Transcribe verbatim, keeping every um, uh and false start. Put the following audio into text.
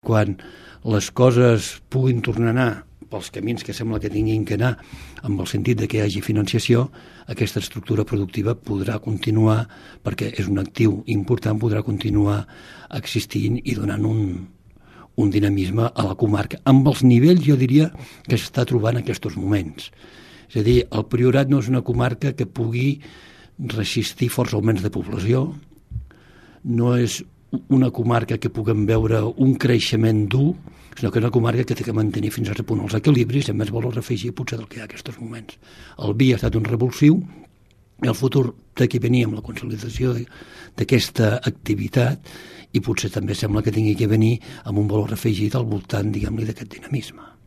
quan les coses puguin tornar a anar pels camins que sembla que tinguin que anar, amb el sentit de que hi hagi financiació, aquesta estructura productiva podrà continuar, perquè és un actiu important, podrà continuar existint i donant un, un dinamisme a la comarca, amb els nivells, jo diria, que s'està trobant en aquests moments. És a dir, el Priorat no és una comarca que pugui resistir forts augments de població, no és una comarca que puguem veure un creixement dur, sinó que és una comarca que té que mantenir fins a cert punt els equilibris i amb més valor afegir potser del que hi ha en aquests moments. El vi ha estat un revulsiu i el futur té que venir amb la consolidació d'aquesta activitat i potser també sembla que tingui que venir amb un valor afegit al voltant, diguem-li, d'aquest dinamisme.